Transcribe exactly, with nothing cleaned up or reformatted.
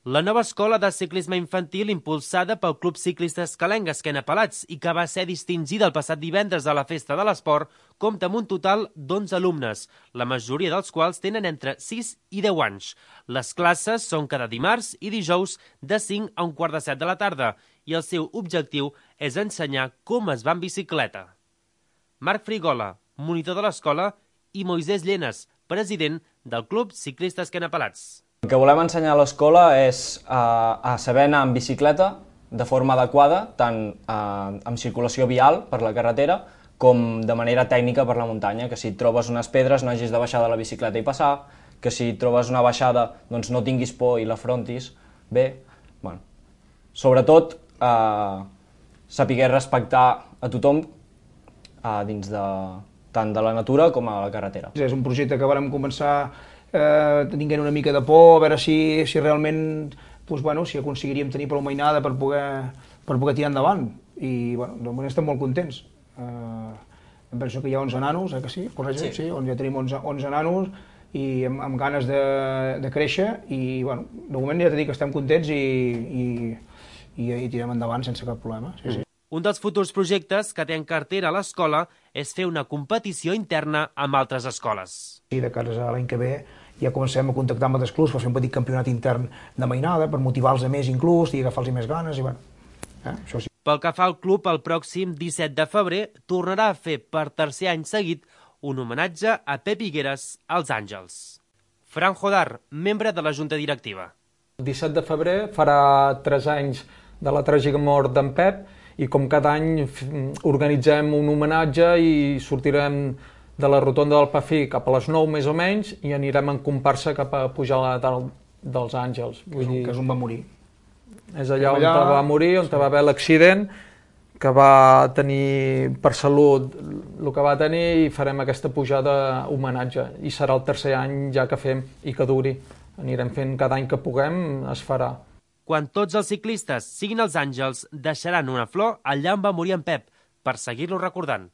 La nova escola de ciclisme infantil impulsada pel Club Ciclista Escalenc Esquena Pelats i que va ser distingida el passat divendres a la Festa de l'Esport compta amb un total d'onze alumnes, la majoria dels quals tenen entre sis i deu anys. Les classes són cada dimarts i dijous de cinc a un quart de set de la tarda i el seu objectiu és ensenyar com es va en bicicleta. Marc Frigola, monitor de l'escola, i Moisès Llenes, president del Club Ciclista Esquena Pelats. El que volem ensenyar a l'escola és a, a saber anar en bicicleta de forma adequada, tant a, amb circulació vial per la carretera com de manera tècnica per la muntanya, que si et trobes unes pedres no hagis de baixar de la bicicleta i passar, que si trobes una baixada doncs no tinguis por i l'afrontis bé. Bueno, sobretot eh, saber respectar a tothom eh, dins de, tant de la natura com a la carretera. És un projecte que vam començar Eh, tinguent una mica de por, a veure si, si realment doncs, bueno, si aconseguiríem tenir prou mainada per poder, per poder tirar endavant. I bueno, de moment estem molt contents. Eh, em penso que hi ha onze nanos, eh, que sí? Correcte? Sí. Sí, on ja tenim onze, onze nanos i amb, amb ganes de, de créixer i bueno, de moment ja t'he dit que estem contents i, i, i, i tirem endavant sense cap problema. Sí, sí. Un dels futurs projectes que té en cartera a l'escola és fer una competició interna amb altres escoles. I de cara a l'any que ve ja comencem a contactar amb altres clubs per fer un petit campionat intern de mainada, per motivar-los a més inclús i agafar-los més ganes, i bueno, eh, això sí. Pel que fa al club, el pròxim disset de febrer tornarà a fer per tercer any seguit un homenatge a Pep Higueras als Àngels. Fran Jodar, membre de la Junta Directiva. El disset de febrer farà tres anys de la tràgica mort d'en Pep i com cada any organitzem un homenatge i sortirem de la rotonda del Pafí cap a les nou més o menys i anirem en comparsa cap a pujar a la dalt dels Àngels. Vull dir, que és on va morir. És allà on allà... va morir, on va haver l'accident, que va tenir per salut el que va tenir i farem aquesta pujada homenatge. I serà el tercer any ja que fem i que duri. Anirem fent cada any que puguem, es farà. Quan tots els ciclistes siguin els Àngels, deixaran una flor allà on va morir en Pep, per seguir-lo recordant.